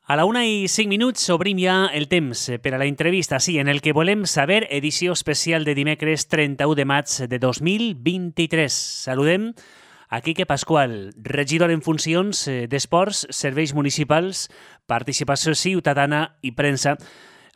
A la 1:05 obrim ja el temps per a la entrevista, sí, en el que volem saber, edició especial de dimecres 31 de maig de 2023. Saludem a Quique Pascual, regidor en funcions d'Esports, Serveis Municipals, Participació Ciutadana i Premsa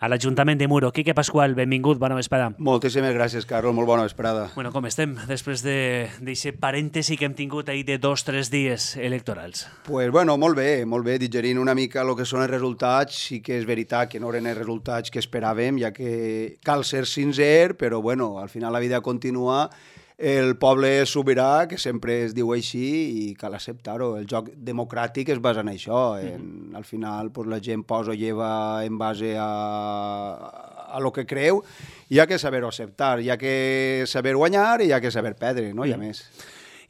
a l'Ajuntament de Muro. Quique Pascual, benvingut, bona vesprada. Moltíssimes gràcies, Carlos, molt bona vesprada. Bueno, com estem després d'aquest parèntesi que hem tingut ahir de 2 o 3 dies electorals? Pues bueno, molt bé, digerint una mica el que són els resultats. Sí que és veritat que no eren els resultats que esperàvem, ja que cal ser sincer, però bueno, al final la vida continua. El poble és sobirà, que sempre es diu així, i cal acceptar-ho. El joc democràtic es basa en això. Al final pues, la gent posa o lleva en base a lo que creu, i hi ha que saber-ho acceptar, hi ha que saber guanyar i hi ha que saber perdre, no hi ha més.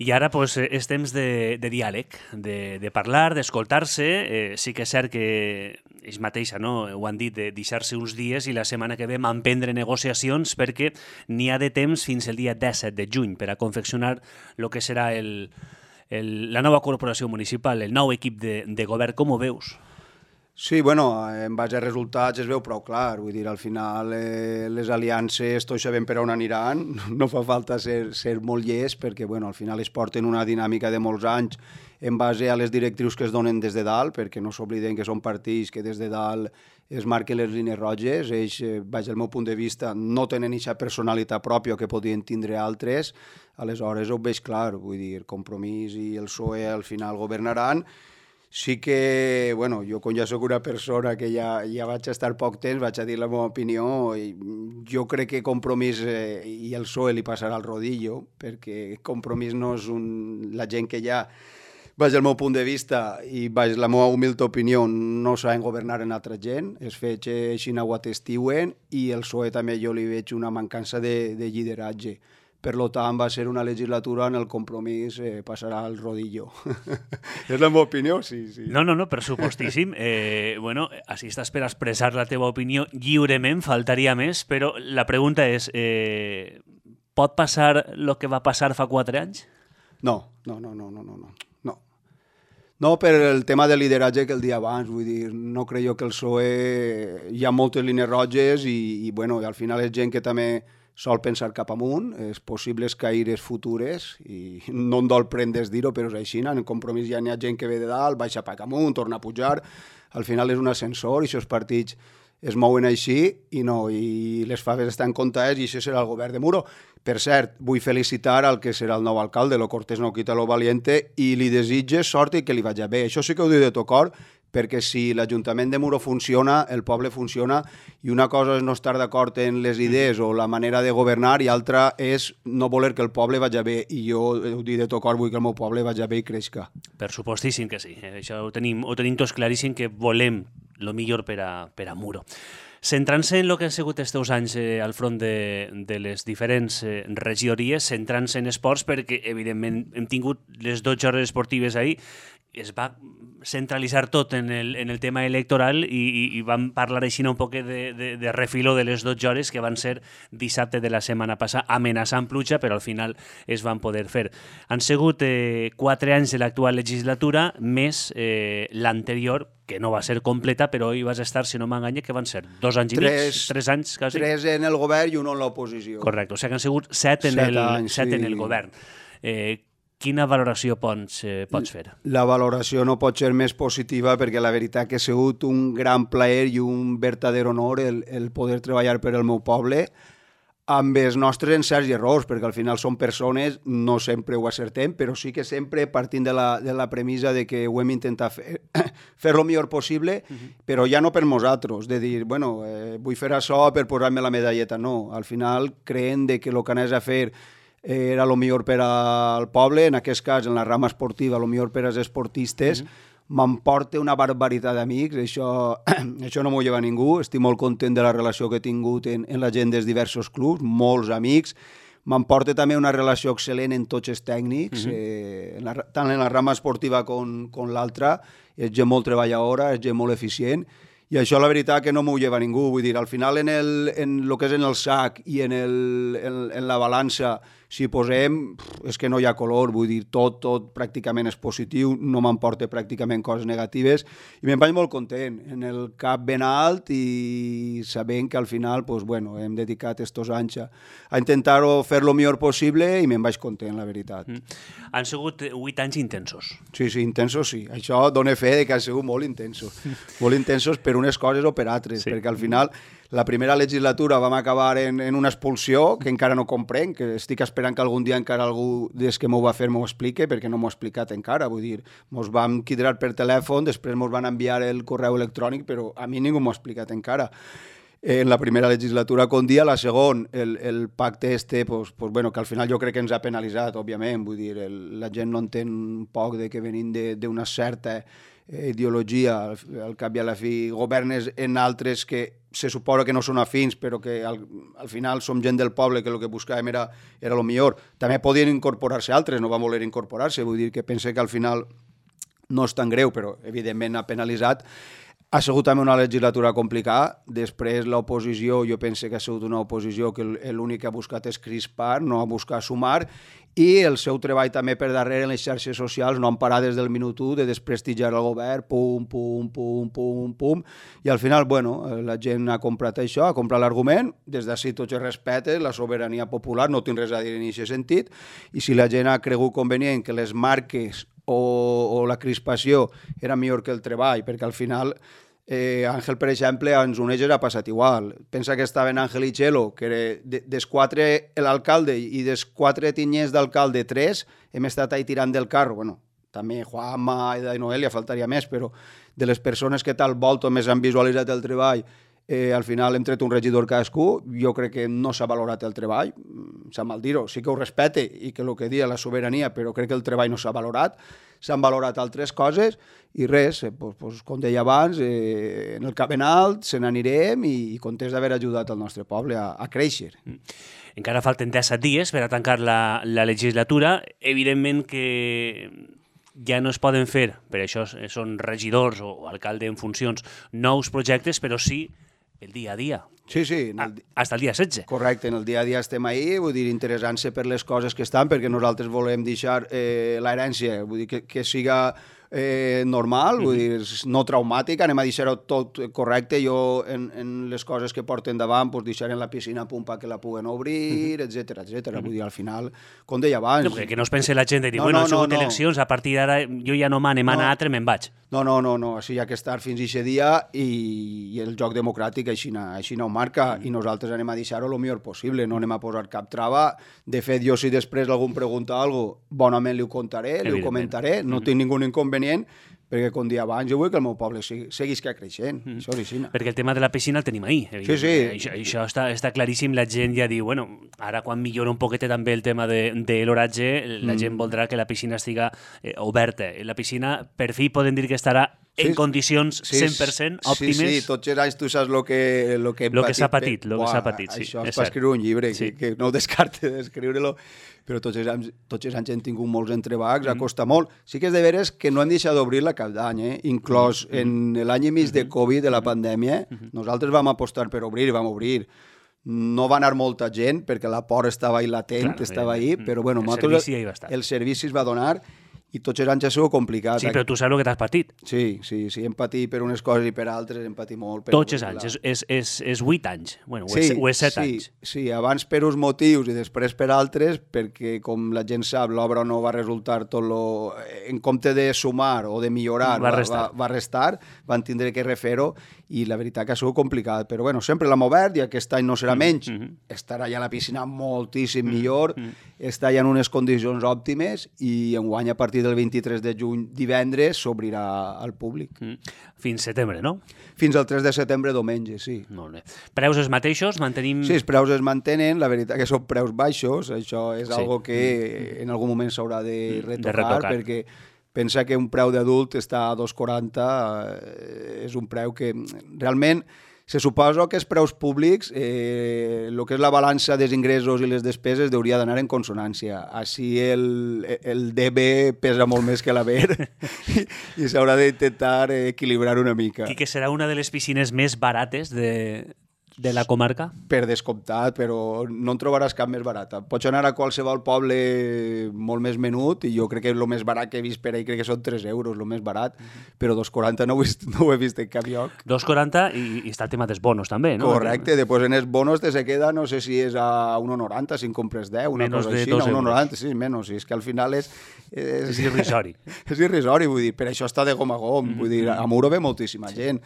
I ara pues, és temps de diàleg, de parlar, d'escoltar-se. Sí que és cert que ells mateixa, no? Ho han dit, de deixar-se uns dies i la setmana que ve emprendre negociacions, perquè n'hi ha de temps fins el dia 17 de juny per a confeccionar el que serà la nova corporació municipal, el nou equip de govern. Com ho veus? Sí, bueno, en base als resultats es veu prou clar, vull dir, al final les aliances tots sabem per on aniran, no fa falta ser molt llest perquè, bueno, al final es porten una dinàmica de molts anys en base a les directrius que es donen des de dalt, perquè no s'obliden que són partits que des de dalt es marquen les línies roges. Ells, vaig al meu punt de vista, no tenen aquesta personalitat pròpia que podien tindre altres, aleshores ho veig clar, vull dir, Compromís i el PSOE al final governaran. Sí que, bueno, jo com ja soc una persona que ja vaig estar poc temps, vaig a dir la meva opinió, i jo crec que Compromís i el PSOE li passarà el rodillo, perquè Compromís no és la gent que ja, vaig al meu punt de vista i vaig la meva humil opinió, no saben governar en altra gent, els fets així ho atestiuen, i el PSOE també jo li veig una mancança de lideratge. Per tant, va ser una legislatura en el Compromís passarà el rodillo. És la meva opinió, sí. No, per supostíssim. Bueno, així estàs per expressar la teva opinió lliurement, faltaria més, però la pregunta és, pot passar el que va passar fa 4 anys? No. No, per el tema del lideratge que el dia abans, vull dir, no crec jo que el PSOE hi ha moltes línies roges i bueno, al final és gent que també sol pensar cap amunt, és possibles caires futures, i no em dol prendre dir-ho, però és així, en el Compromís ja n'hi ha gent que ve de dalt, baixa cap amunt, torna a pujar, al final és un ascensor i aquests partits es mouen així i les faves estan comptades i això serà el govern de Muro. Per cert, vull felicitar al que serà el nou alcalde, lo cortés no quita lo valiente, i li desitge sort i que li vagi bé. Això sí que ho dic de tot cor, perquè si l'Ajuntament de Muro funciona, el poble funciona, i una cosa és no estar d'acord en les idees o la manera de governar, i altra és no voler que el poble vagi bé, i jo ho dic de tot cor, vull que el meu poble vagi bé i creixca. Per supostíssim que sí, això ho tenim tots claríssim, que volem el millor per a Muro. Centrant-se en el que han sigut els teus anys al front de les diferents regidories, centrant-se en esports, perquè evidentment hem tingut les 12 hores esportives ahir, es va centralitzar tot en el tema electoral i vam parlar així un poc de refiló de les 12 hores que van ser dissabte de la setmana passada, amenaçant pluja, però al final es van poder fer. Han sigut 4 anys de l'actual legislatura, més l'anterior, que no va ser completa, però hi vas estar, si no m'enganya, que van ser 2 anys i mig, 3 anys quasi. 3 en el govern i 1 en l'oposició. Correcte, o sigui que han sigut 7 en el govern. Quina valoració pots fer? La valoració no pot ser més positiva perquè la veritat que ha sigut un gran plaer i un verdader honor el poder treballar per al meu poble amb els nostres encerts i errors, perquè al final som persones, no sempre ho acertem, però sí que sempre partint de la premissa de que ho hem intentat fer el millor possible, però ja no per nosaltres, de dir, bueno, vull fer això per posar-me la medalleta, no. Al final creiem que el que anés a fer era el millor per al poble, en aquest cas, en la rama esportiva, el millor per als esportistes. M'emporta una barbaritat d'amics, això no m'ho lleva ningú, estic molt content de la relació que he tingut en la gent dels diversos clubs, molts amics. M'emporta també una relació excel·lent en tots els tècnics, tant en la rama esportiva com l'altra. És gent molt treballadora, és gent molt eficient, i això la veritat que no m'ho lleva ningú. Vull dir, al final en el que és en el sac i en la balança, si posem, és que no hi ha color, vull dir, tot pràcticament és positiu, no m'emporta pràcticament coses negatives, i me'n vaig molt content, en el cap ben alt i sabent que al final, pues, bueno, hem dedicat estos anys a intentar-ho fer lo millor possible i me'n vaig content, la veritat. Han sigut 8 anys intensos. Sí, intensos sí. Això dona fe de que han sigut molt intensos. Molt intensos per unes coses o per altres, perquè al final la primera legislatura vam acabar en una expulsió que encara no comprenc, que estic esperant que algun dia encara algú des que m'ho va fer m'ho explique, perquè no m'ho ha explicat encara. Vull dir, mos vam quidrar per telèfon, després mos van enviar el correu electrònic, però a mi ningú m'ho ha explicat encara. En la primera legislatura con dia, la segona, el pacte pues, bueno, que al final jo crec que ens ha penalitzat, òbviament, vull dir, la gent no entén un poc de que venim d'una certa ideologia, al cap i a la fi, governes en altres que se suposa que no són afins, però que al final som gent del poble que el que buscàvem era el millor. També podien incorporar-se altres, no van voler incorporar-se, vull dir que pense que al final no és tan greu, però evidentment ha penalitzat. Ha sigut també una legislatura complicada. Després l'oposició, jo penso que ha sigut una oposició que l'únic que ha buscat és crispar, no ha buscat sumar, i el seu treball també per darrere en les xarxes socials no han parat des del minut 1 de desprestigiar el govern, pum, pum, pum, pum, pum, i al final, bueno, la gent ha comprat això, ha comprat l'argument, des d'ací tots els respetes, la sobirania popular, no tinc res a dir en aquest sentit, i si la gent ha cregut convenient que les marques o la crispació era millor que el treball, perquè al final Àngel, per exemple, ens uneix ha passat igual. Pensa que estaven Àngel i Txelo, que des 4 l'alcalde i des 4 tinyers d'alcalde 3 hem estat ahí tirant del carro. Bueno, també Juanma i Noelia, faltaria més, però de les persones que tal volta més han visualitzat el treball, al final hem tret un regidor cadascú. Jo crec que no s'ha valorat el treball, s'ha mal dir-ho, sí que ho respecte i que el que dia la sobirania, però crec que el treball no s'ha valorat, s'han valorat altres coses i res, com deia abans, en el cap ben alt se n'anirem i contents d'haver ajudat el nostre poble a créixer. Encara falten 17 dies per a tancar la legislatura. Evidentment que ja no es poden fer, per això són regidors o alcalde en funcions, nous projectes, però sí el dia a dia. Sí. Hasta el dia 16. Correcte, en el dia a dia estem ahí, vull dir, interessant-se per les coses que estan, perquè nosaltres volem deixar l'herència, vull dir, que siga normal, vull dir, no traumàtic, anem a deixar-ho tot correcte. Jo, en les coses que porten davant, pues deixarem la piscina a punt perquè la puguen obrir, etc. Vull dir, al final, com deia abans... No, que no es pense la gent de dir, bueno, han sigut eleccions, a partir d'ara jo ja no mane, mana altre, me'n vaig. No, així hi ha que estar fins a aquest dia i el joc democràtic així no ho marca i nosaltres anem a deixar-ho el millor possible, no anem a posar cap trava. De fet, jo si després algú em pregunta alguna cosa, bonament li ho contaré, li ho comentaré, no tinc ningú inconvenient, perquè com dia abans jo vull que el meu poble seguisca creixent, això és així. Perquè el tema de la piscina el tenim ahí. Sí. Això està claríssim, la gent ja diu, bueno, ara quan millora un poquet també el tema de l'horatge, la gent voldrà que la piscina estiga oberta. La piscina, per fi, podem dir que estarà en condicions 100% òptimes. Sí, tots els anys tu saps el que s'ha patit. Això és per escriure un llibre, que no ho descarte d'escriure-lo, però tots els anys hem tingut molts entrebacs, ha costat molt. Sí que és de veres que no hem deixat d'obrir-la cap d'any, inclòs en l'any i mig de Covid, de la pandèmia, nosaltres vam apostar per obrir i vam obrir. No va anar molta gent, perquè la por estava ahí latent, estava ahí, però bueno, el servici es va donar i tots els anys ha sigut complicat. Sí, però tu saps el que t'has patit. Sí, hem patit per unes coses i per altres, hem patit molt. Tots els anys, és 8 anys, bueno, o és 7 anys. Sí, abans per uns motius i després per altres, perquè com la gent sap, l'obra no va resultar tot lo... En compte de sumar o de millorar, va restar, van tindre que refer-ho i la veritat que ha sigut complicat. Però bueno, sempre l'hem obert i aquest any no serà menys. Estarà ja la piscina moltíssim millor, està ja en unes condicions òptimes i enguany a partir del 23 de juny, divendres, s'obrirà al públic. Fins setembre, no? Fins al 3 de setembre, diumenge, sí. Molt bé. Preus els mateixos? Mantenim... Sí, els preus es mantenen, la veritat que són preus baixos, això és algo que en algun moment s'haurà de retocar, perquè pensa que un preu d'adult està a 2,40, és un preu que realment... Se suposa que els preus públics, el que és la balança dels ingressos i les despeses, hauria d'anar en consonància. Així el DB pesa molt més que l'haver i s'haurà d'intentar equilibrar una mica. I que serà una de les piscines més barates de de la comarca? Per descomptat, però no en trobaràs cap més barata. Pots anar a qualsevol poble molt més menut, i jo crec que el més barat que he vist per ahí crec que són 3 euros, el més barat, però 2,40 no ho he vist en cap lloc. 2,40 i està el tema dels bonos també, no? Correcte, després en els bonos te se queda, no sé si és a 1,90 si en compres 10, una Menos cosa de així, 2 a 1,90, sí, menys, és que al final és irrisori. És irrisori, vull dir, per això està de gom a gom, vull dir, a Muro ve moltíssima gent,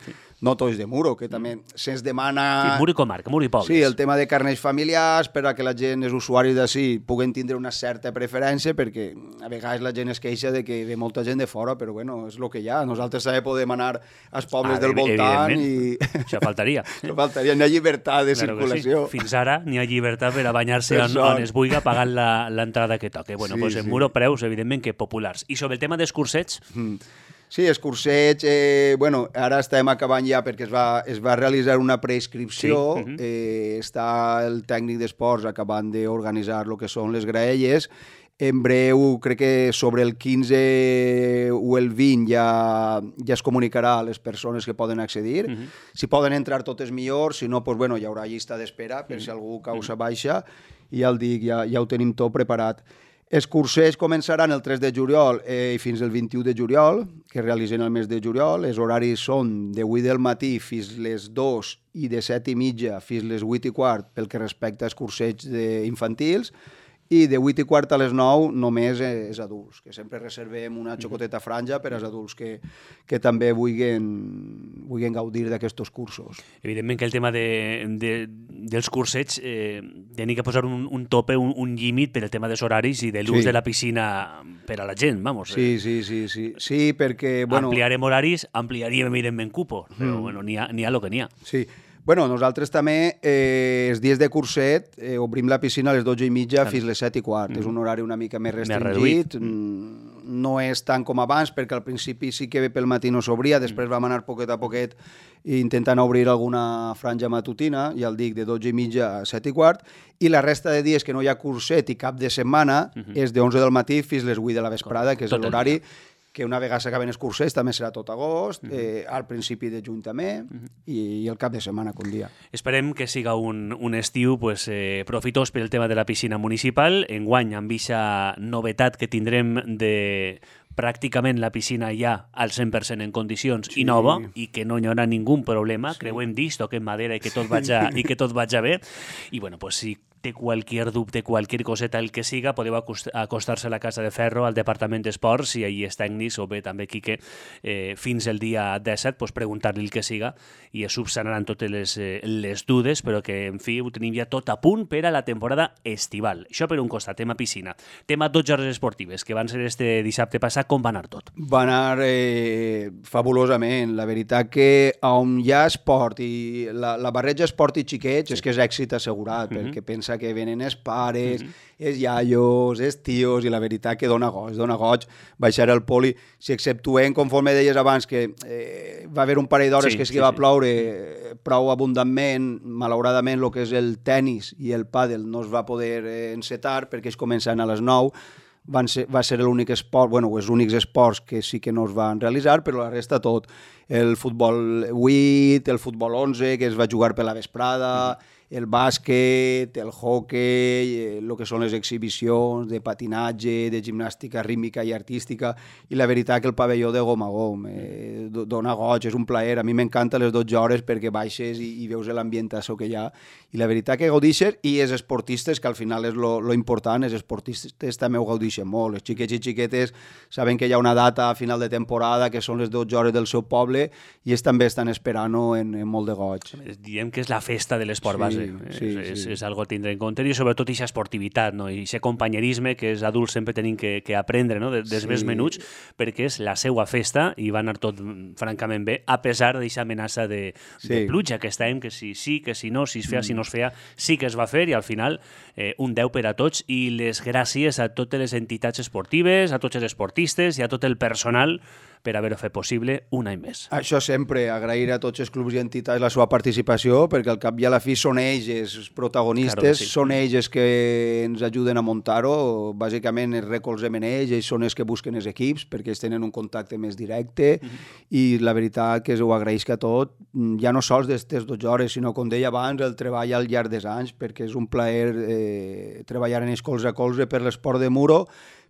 no tots de Muro, que també se'ns demana... Sí, Muro i comarca, Muro i pobles. Sí, el tema de carnets familiars, per a que la gent, els usuaris d'ací, puguen tindre una certa preferència, perquè a vegades la gent es queixa de que ve molta gent de fora, però bueno, és el que hi ha. Nosaltres també podem anar als pobles del voltant i... Això faltaria. Això faltaria, n'hi ha llibertat de circulació. Sí. Fins ara n'hi ha llibertat per a banyar-se on es vulgui pagant l'entrada que toque. Bueno, pues en Muro preus, evidentment, que populars. I sobre el tema dels cursets... Sí, els cursets, bueno, ara estem acabant ja perquè es va realitzar una preinscripció, està el tècnic d'esports acabant d'organitzar el que són les graelles. En breu, crec que sobre el 15 o el 20 ja es comunicarà a les persones que poden accedir. Si poden entrar totes millor, si no, pues, bueno, hi haurà llista d'espera per si algú causa baixa, i ja el dic, ja ho tenim tot preparat. Els cursets començaran el 3 de juliol i fins el 21 de juliol, que es realitzen el mes de juliol. Els horaris són de 8 del matí fins les 2 i de 7:30 fins les 8:15 pel que respecta als cursets infantils, i de 8:15 a les 9 només és adults, que sempre reservem una xocoteta franja per als adults que també vulguin gaudir d'aquests cursos. Evidentment que el tema dels cursets tenia que posar un tope, un límit per el tema dels horaris i de l'ús de la piscina per a la gent, vamos. Sí, perquè... Bueno, ampliarem horaris, ampliaríem evidentment cupo, però bueno, n'hi ha el que n'hi ha. Sí. Bueno, nosaltres també, els dies de curset, obrim la piscina a les 12:30 fins les 7:15. És un horari una mica més restringit. No és tant com abans, perquè al principi sí que pel matí no s'obria, després vam anar poquet a poquet intentant obrir alguna franja matutina, ja el dic, de 12:30 a 7:15, i la resta de dies que no hi ha curset i cap de setmana és de 11 del matí fins les 8 de la vesprada, que és l'horari que una vegada s'acaben els cursets també serà tot agost, al principi de juny també, i el cap de setmana com dia. Esperem que siga un estiu profitós per el tema de la piscina municipal. Enguany, amb aquesta novetat que tindrem de pràcticament la piscina ja al 100% en condicions i nova, i que no hi haurà ningú problema, creuem disc, toquem madera i que tot vagi bé. I bueno, pues si té qualsevol dubte, qualsevol coseta, el que siga, podeu acostar-se a la Casa de Ferro, al Departament d'Esports, si allí és tècnics, o bé també Quique, fins el dia 17, pues preguntar-li el que siga, i es subsanaran totes les dudes, però que, en fi, ho tenim ja tot a punt per a la temporada estival. Això per un costat, tema piscina. Tema 12 hores esportives, que van ser este dissabte passat, com va anar tot? Va anar fabulosament. La veritat que on hi ha esport i la barreja esport i xiquets és que és èxit assegurat, perquè pensa que venen els pares, els iaios, els tios, i la veritat que dona goig baixar al poli. Si exceptuem, conforme deies abans, que va haver un parell d'hores que sí que va ploure prou abundantment, malauradament el que és el tennis i el pàdel no es va poder encetar perquè es començaven a les 9, va ser l'únic esport, bueno, els únics esports que sí que no es van realitzar, però la resta tot. El futbol 8, el futbol 11, que es va jugar per la vesprada, el bàsquet, el hoquei, el que són les exhibicions de patinatge, de gimnàstica rítmica i artística, i la veritat que el pavelló de gom a gom dona goig, és un plaer. A mi m'encanta les 12 hores perquè baixes i veus l'ambientació que hi ha, i la veritat que gaudixes, i els esportistes, que al final és lo important, els esportistes també ho gaudixen molt. Els xiquets i xiquetes saben que hi ha una data a final de temporada que són les 12 hores del seu poble, i ells també estan esperant-ho en molt de goig. Diem que és la festa de l'esport base. És algo a tindre en compte, i sobretot aquesta esportivitat, no? I aquest companyerisme que els adults sempre tenim que aprendre, no? Dels més menuts, perquè és la seva festa i va anar tot francament bé, a pesar d'aquesta amenaça de pluja que estàvem, que si sí, que si no, si es feia, si no es feia, sí que es va fer, i al final un 10 per a tots, i les gràcies a totes les entitats esportives, a tots els esportistes i a tot el personal, per haver-ho fet possible un any més. Això sempre, agrair a tots els clubs i entitats la seva participació, perquè al cap i a la fi són ells els protagonistes, Claro que sí. són ells els que ens ajuden a muntar-ho, bàsicament els recolzem en ells són els que busquen els equips, perquè ells tenen un contacte més directe, i la veritat que ho agraïsc a tot, ja no sols d'estes 12 hores, sinó, com deia abans, el treball al llarg dels anys, perquè és un plaer treballar en ells colze a colze per l'esport de Muro,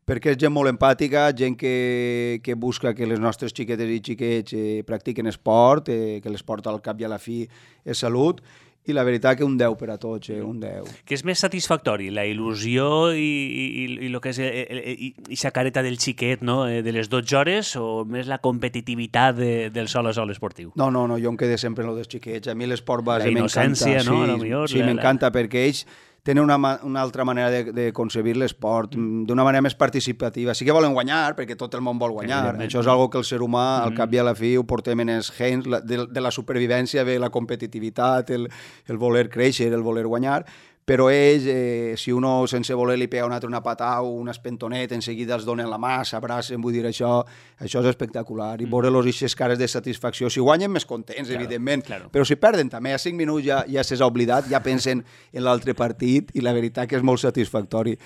perquè és gent molt empàtica, gent que busca que les nostres xiquetes i xiquets practiquen esport, que l'esport al cap i a la fi és salut, i la veritat que un 10 per a tots, un 10. Què és més satisfactori, la il·lusió i el que és aquesta careta del xiquet, no? De les 12 hores, o més la competitivitat del sol a sol esportiu? No, jo em quedé sempre en lo dels xiquets. A mi l'esport base m'encanta. La innocència, no? A lo millor, sí, m'encanta, perquè ells tenen una altra manera de concebir l'esport, d'una manera més participativa. Sí que volen guanyar, perquè tot el món vol guanyar. Això és algo que el ser humà, al cap i a la fi, ho portem en els gens, de la supervivència ve la competitivitat, el voler créixer, el voler guanyar, però ells, si uno sense voler li pega un altre una patada o un espentonet, en seguida els donen la mà, s'abracen, vull dir, això és espectacular. I veure-los aquestes cares de satisfacció. Si guanyen, més contents, evidentment, però si perden també, a 5 minuts ja s'és oblidat, ja pensen en l'altre partit, i la veritat que és molt satisfactori.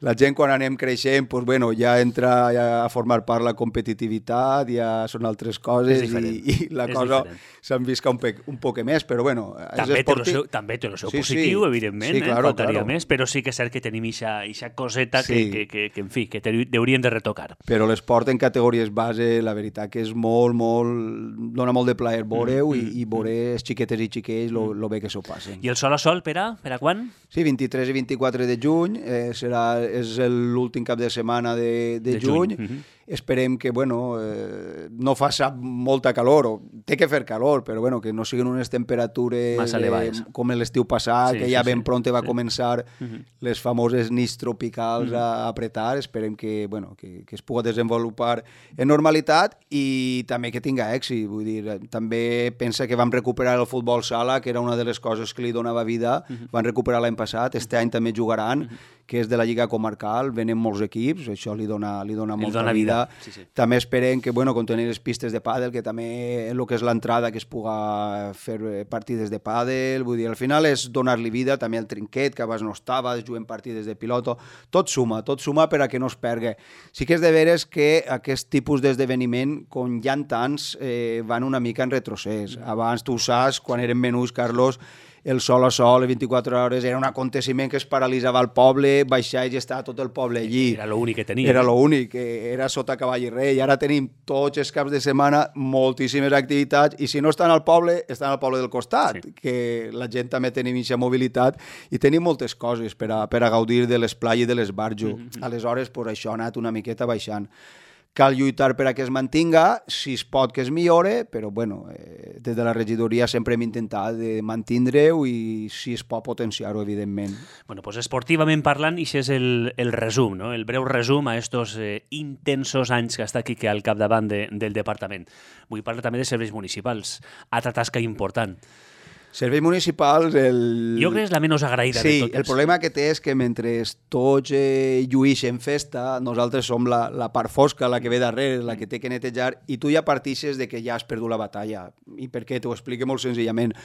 La gent, quan anem creixent, doncs, bueno, ja entra a formar part la competitivitat, ja són altres coses, i la cosa s'envisca un poc més, però bueno, és esportiu. També té el seu positiu, evidentment, faltaria més, però sí que és cert que tenim aquesta coseta que, en fi, que hauríem de retocar. Però l'esport en categories base, la veritat que és molt, dona molt de plaer veure-ho i veure els xiquetes i xiquets lo bé que s'ho passen. I el sol a sol, per a quan? Sí, 23 i 24 de juny, és l'últim cap de setmana de juny. Esperem que, bueno, no faci molta calor, o té que fer calor, però bueno, que no siguin unes temperatures com l'estiu passat, que ja ben pront va començar les famoses nits tropicals a apretar. Esperem que, bueno, que es pugui desenvolupar en normalitat i també que tinga èxit. Vull dir, també pensa que vam recuperar el futbol sala, que era una de les coses que li donava vida. Van recuperar l'any passat, este any també jugaran, que és de la Lliga Comarcal, venen molts equips, això li dona molta vida. També esperem que, bueno, com tenir les pistes de pàdel, que també el que és l'entrada, que es puga fer partides de pàdel, vull dir, al final és donar-li vida, també el trinquet, que abans no estava, es juguen partides de piloto, tot suma per a que no es pergui. Sí que és de veres que aquest tipus d'esdeveniment, com hi ha tants, van una mica en retrocés. Abans, tu ho saps, quan eren menús, Carlos, el sol a sol, les 24 hores, era un aconteciment que es paralitzava al poble, baixaves i estava tot el poble allí. Era l'únic que tenia. Era l'únic, era sota cavall i rei. Ara tenim tots els caps de setmana moltíssimes activitats, i si no estan al poble, estan al poble del costat, que la gent també tenim aquesta mobilitat, i tenim moltes coses per a gaudir de l'esplai i de l'esbarjo. Aleshores, això ha anat una miqueta baixant. Cal lluitar per a que es mantinga, si es pot que es millore, però bueno, des de la regidoria sempre hem intentat de mantindre-ho i si es pot potenciar-ho, evidentment. Bueno, pues esportivament parlant, això és el resum, no? El breu resum a estos intensos anys que està aquí al capdavant del departament. Vull parlar també de serveis municipals, altra tasca important. Serveis municipals... Jo crec que és la menys agraïda de totes. Sí, el problema que té és que mentre tots lluïxen festa, nosaltres som la part fosca, la que ve darrere, la que té que netejar, i tu ja partixes de que ja has perdut la batalla. I per què? T'ho explico molt senzillament.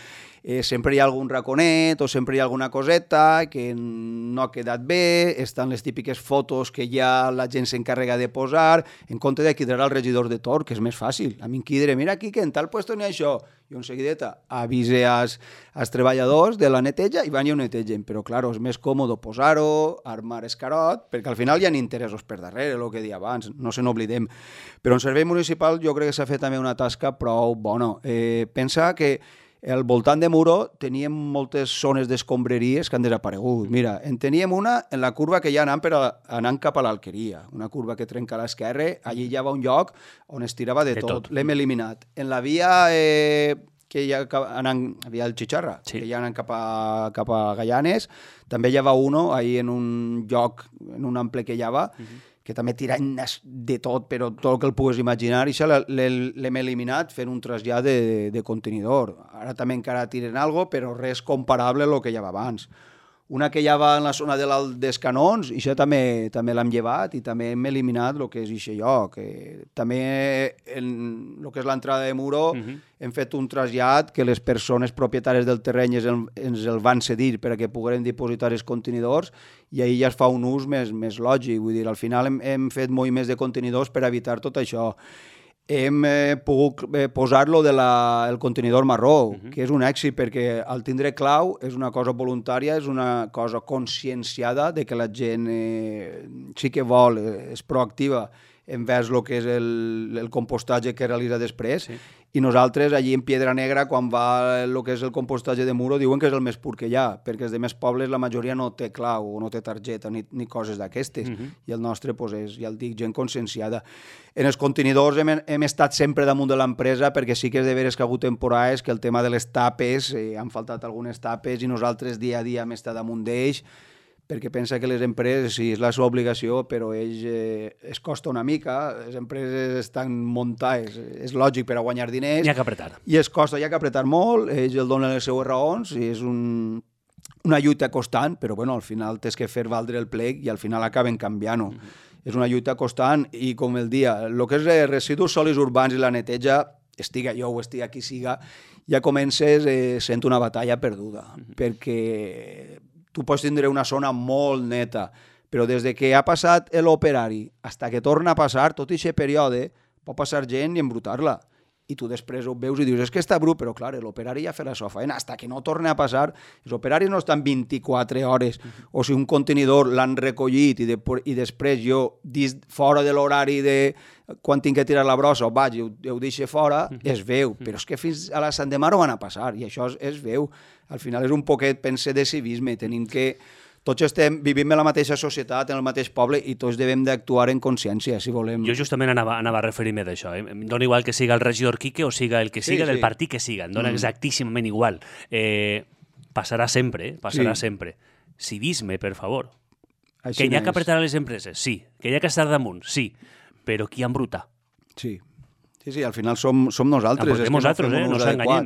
Sempre hi ha algun raconet o sempre hi ha alguna coseta que no ha quedat bé, estan les típiques fotos que ja la gent s'encarrega de posar, en compte de quidrar al regidor de torn, que és més fàcil. A mi em quidre, mira aquí que en tal puesto n'hi ha això. I un seguideta avise als treballadors de la neteja i van i ho netegen. Però, clar, és més còmode posar-ho, armar escarot, perquè al final hi ha interessos per darrere, el que deia abans, no se n'oblidem. Però en servei municipal jo crec que s'ha fet també una tasca prou bona. Pensa que al voltant de Muro teníem moltes zones d'escombreries que han desaparegut. Mira, en teníem una en la curva que ja anant cap a l'Alqueria, una curva que trenca a l'esquerra, allí hi havia un lloc on es tirava de tot. L'hem eliminat. En la via que hi ha havia el Xixarra, que hi ha anant cap a Gaianes, també hi havia uno ahí en un lloc, en un ample que hi havia, que també tiren de tot, però tot el que el pugues imaginar, i això l'hem eliminat fent un trasllat de contenidor. Ara també encara tiren alguna cosa, però res comparable a el que hi havia abans. una que ja va en la zona de l'Alt dels Canons, i això també l'hem llevat i també hem eliminat el que és aquest lloc. També en el que és l'entrada de Muro hem fet un trasllat que les persones propietàries del terreny ens el van cedir per a que pogueren dipositar els contenidors i ahir ja es fa un ús més lògic. Vull dir, al final hem fet moviments de contenidors per evitar tot això. Hem pogut posar-lo del contenidor marró, que és un èxit perquè al tindre clau és una cosa voluntària, és una cosa conscienciada de que la gent sí que vol, és proactiva envers el que és el compostatge que realitza després. Sí. I nosaltres, allí en Piedra Negra, quan va el que és el compostatge de Muro, diuen que és el més pur que hi ha, perquè els demés pobles la majoria no té clau, o no té targeta, ni coses d'aquestes. I el nostre, és, ja el dic, gent conscienciada. En els contenidors hem estat sempre damunt de l'empresa, perquè sí que és de veres que ha hagut temporades que el tema de les tapes, han faltat algunes tapes, i nosaltres dia a dia hem estat damunt d'ells, perquè pensa que les empreses, sí, és la seva obligació, però ells es costa una mica, les empreses estan muntades, és lògic per a guanyar diners. Hi ha que apretar. I es costa, hi ha que apretar molt, ells el donen les seues raons, i és una lluita constant, però bueno, al final tens que fer valdre el plec i al final acaben canviant-ho. És una lluita constant i, com el dia, el que és residus sòlids urbans i la neteja, estiga jo o estiga qui siga, ja comences sent una batalla perduda, perquè tu pots tindre una zona molt neta, però des de que ha passat l'operari fins que torna a passar, tot aquest període, pot passar gent i embrutar-la. I tu després ho veus i dius, és que està brut, però clar, l'operari ja fa la seva feina, fins que no torna a passar. Els operaris no estan 24 hores, o si un contenidor l'han recollit i després jo, fora de l'horari de quan tinc que tirar la brossa, vaig i ho deixo fora, es veu, però és que fins a la Sant de Mar ho van a passar, i això es veu. Al final és un poquet, pense, de civisme, tenim que... Tots vivim en la mateixa societat, en el mateix poble, i tots devem d'actuar en consciència, si volem. Jo justament anava a referir-me d'això. Em dona igual que siga el regidor Quique o siga el que siga, del partit que siga. Em dona exactíssimament igual. Passarà sempre, sempre. Civisme, per favor. Que hi ha que apretar a les empreses, sí. Que hi ha que estar damunt, sí. Però qui embruta? Sí. Sí, al final som nosaltres. Embrutem nosaltres,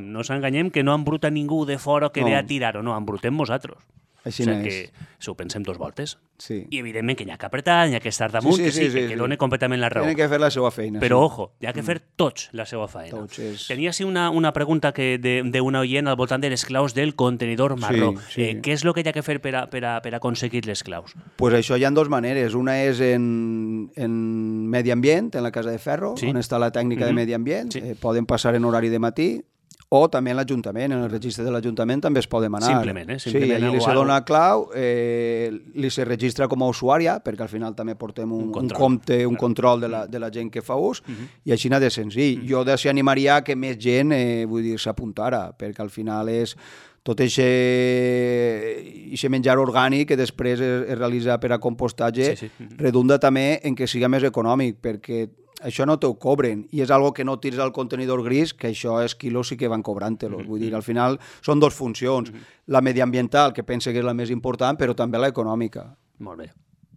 no s'enganyem que no embruta ningú de fora que ve a tirar o no, embrutem nosaltres. Així és. Que si ho pensem dos voltes. Sí. I evidentment que hi ha que apretar, hi ha que estar damunt, que dona completament la raó. Tenen que fer la seva feina. Però, ojo, hi ha que fer tots la seva feina. Tenia així una pregunta d'una oient al voltant de les claus del contenidor marró. Què és el que hi ha que fer per a aconseguir les claus? Pues això hi ha dues maneres. Una és en medi ambient, en la Casa de Ferro, on està la tècnica de medi ambient. Poden passar en horari de matí. O també en l'Ajuntament, en el registre de l'Ajuntament també es pot demanar. Simplement, Simplement. Sí, allà li se dona clau, li se registra com a usuària, perquè al final també portem un control de la gent que fa ús, i així n'ha de senzill. Jo d'ací animaria que més gent s'apuntara, perquè al final és tot aquest menjar orgànic que després es realitza per a compostatge, redunda també en que siga més econòmic, perquè això no t'ho cobren, i és algo que no tires al contenidor gris, que això és quilos sí que van cobrant-te-los. Vull dir, al final són dues funcions, la mediambiental, que pense que és la més important, però també la econòmica. Molt bé.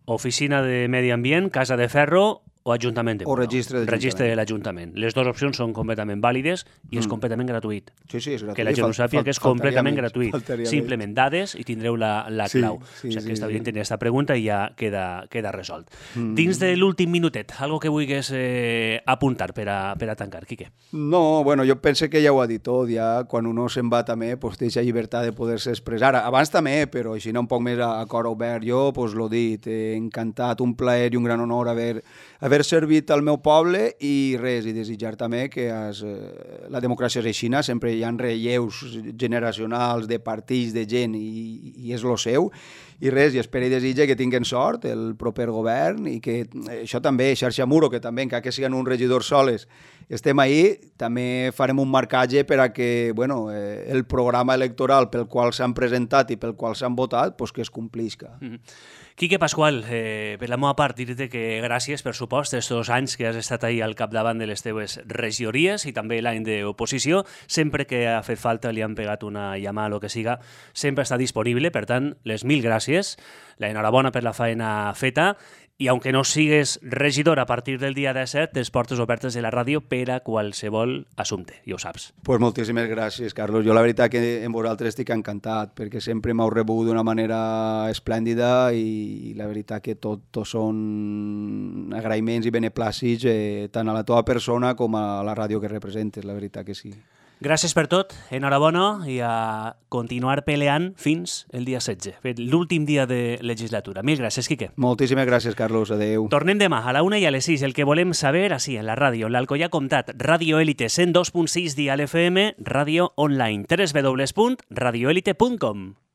Oficina de Medi Ambient, Casa de Ferro o Ajuntament de Muro. O registre de l'Ajuntament. Les dues opcions són completament vàlides i és completament gratuït. Sí, és gratuït. Que la gent ho sàpiga que és completament gratuït. Simplement dades i tindreu la clau. O sigui que està bé tenir aquesta pregunta i ja queda resolt. Dins de l'últim minutet, algo que vulguis apuntar per a tancar, Quique? No, bueno, jo penso que ja ho ha dit tot. Ja quan uno se'n va també, té aquesta llibertat de poder-se expressar. Abans també, però així un poc més a cor obert. Jo, l'ho dit, encantat, un plaer i un gran honor haver servit al meu poble i desitjar també que la democràcia és aixina, sempre hi ha relleus generacionals de partits, de gent i és el seu, i espero i desitja que tinguin sort el proper govern i que això també, Xarxa Muro, que també, encara que siguin uns regidors soles, estem ahí, també farem un marcatge per a que el programa electoral pel qual s'han presentat i pel qual s'han votat, que es complisca. Quique Pascual, per la meva part, dir-te que gràcies, per supost, aquests anys que has estat ahí al capdavant de les teves regidories i també l'any d'oposició. Sempre que ha fet falta li han pegat una llamada o que siga, sempre està disponible. Per tant, les 1000 gràcies, l'enhorabona per la feina feta I aunque no sigues regidor a partir del dia 17, les portes obertes de la ràdio per a qualsevol assumpte, ja ho saps. Pues moltíssimes gràcies, Carlos. Jo la veritat que amb vosaltres estic encantat, perquè sempre m'heu rebut d'una manera esplèndida i la veritat que tot són agraïments i beneplàcits tant a la teva persona com a la ràdio que representes, la veritat que sí. Gràcies per tot, enhorabona i a continuar peleant fins el dia 16, l'últim dia de legislatura. Mil gràcies, Quique. Moltíssimes gràcies, Carlos. Adéu. Tornem demà a la 1 i a les 6, el que volem saber, així, en la ràdio, l'Alcoià Comtat, Ràdio Élite 102.6 Dial FM, ràdio online, www.radioelite.com.